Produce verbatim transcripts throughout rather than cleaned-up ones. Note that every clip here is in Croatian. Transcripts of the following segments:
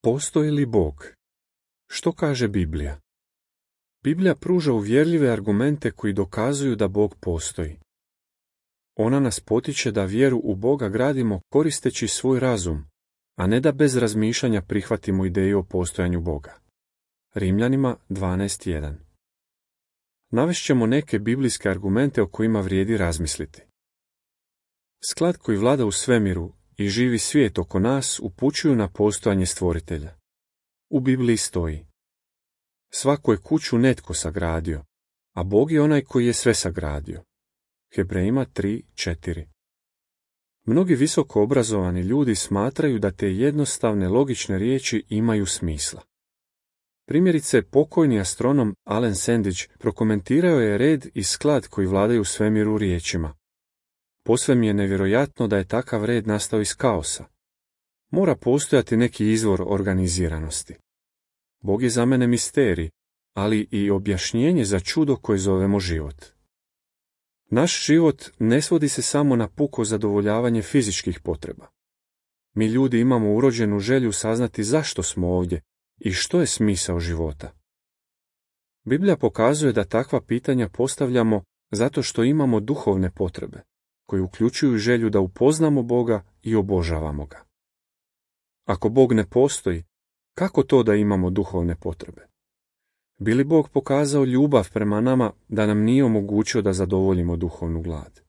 Postoji li Bog? Što kaže Biblija? Biblija pruža uvjerljive argumente koji dokazuju da Bog postoji. Ona nas potiče da vjeru u Boga gradimo koristeći svoj razum, a ne da bez razmišljanja prihvatimo ideju o postojanju Boga. Rimljanima dvanaest jedan. Navešćemo neke biblijske argumente o kojima vrijedi razmisliti. Sklad koji vlada u svemiru i živi svijet oko nas upućuju na postojanje stvoritelja. U Bibliji stoji: svako je kuću netko sagradio, a Bog je onaj koji je sve sagradio. Hebrejima tri četiri. Mnogi visoko obrazovani ljudi smatraju da te jednostavne logične riječi imaju smisla. Primjerice, pokojni astronom Alen Sandage prokomentirao je red i sklad koji vladaju u svemiru riječima: posve mi je nevjerojatno da je takav red nastao iz kaosa. Mora postojati neki izvor organiziranosti. Bog je za mene misterij, ali i objašnjenje za čudo koje zovemo život. Naš život ne svodi se samo na puko zadovoljavanje fizičkih potreba. Mi ljudi imamo urođenu želju saznati zašto smo ovdje i što je smisao života. Biblija pokazuje da takva pitanja postavljamo zato što imamo duhovne potrebe, koje uključuju želju da upoznamo Boga i obožavamo ga. Ako Bog ne postoji, kako to da imamo duhovne potrebe? Bi li Bog pokazao ljubav prema nama da nam nije omogućio da zadovoljimo duhovnu glad?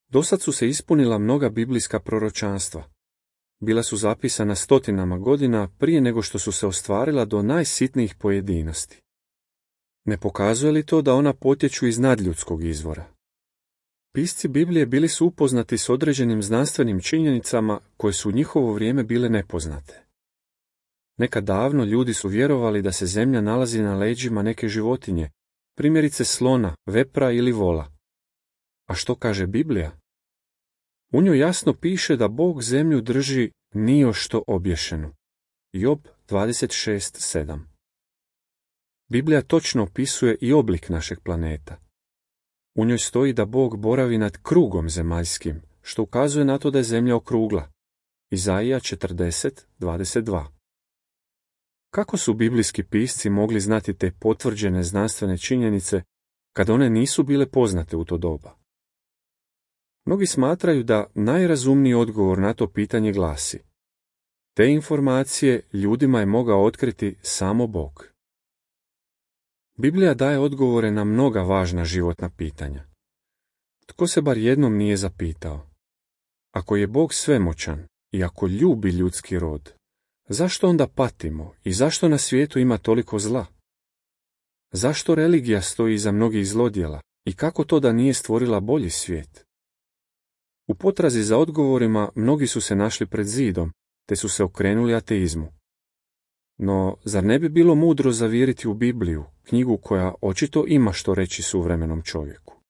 Dosad su se ispunila mnoga biblijska proročanstva. Bila su zapisana stotinama godina prije nego što su se ostvarila do najsitnijih pojedinosti. Ne pokazuje li to da ona potječu iz nadljudskog izvora? Pisci Biblije bili su upoznati s određenim znanstvenim činjenicama koje su u njihovo vrijeme bile nepoznate. Nekad davno ljudi su vjerovali da se zemlja nalazi na leđima neke životinje, primjerice slona, vepra ili vola. A što kaže Biblija? U njoj jasno piše da Bog zemlju drži nijošto obješenu. Job dvadeset šest sedam. Biblija točno opisuje i oblik našeg planeta. U njoj stoji da Bog boravi nad krugom zemaljskim, što ukazuje na to da je zemlja okrugla. Izaija četrdeset dvadeset dva. Kako su biblijski pisci mogli znati te potvrđene znanstvene činjenice kad one nisu bile poznate u to doba? Mnogi smatraju da najrazumniji odgovor na to pitanje glasi: te informacije ljudima je mogao otkriti samo Bog. Biblija daje odgovore na mnoga važna životna pitanja. Tko se bar jednom nije zapitao: ako je Bog svemoćan i ako ljubi ljudski rod, zašto onda patimo i zašto na svijetu ima toliko zla? Zašto religija stoji iza mnogih zlodjela i kako to da nije stvorila bolji svijet? U potrazi za odgovorima mnogi su se našli pred zidom, te su se okrenuli ateizmu. No, zar ne bi bilo mudro zavjeriti u Bibliju, knjigu koja očito ima što reći suvremenom čovjeku?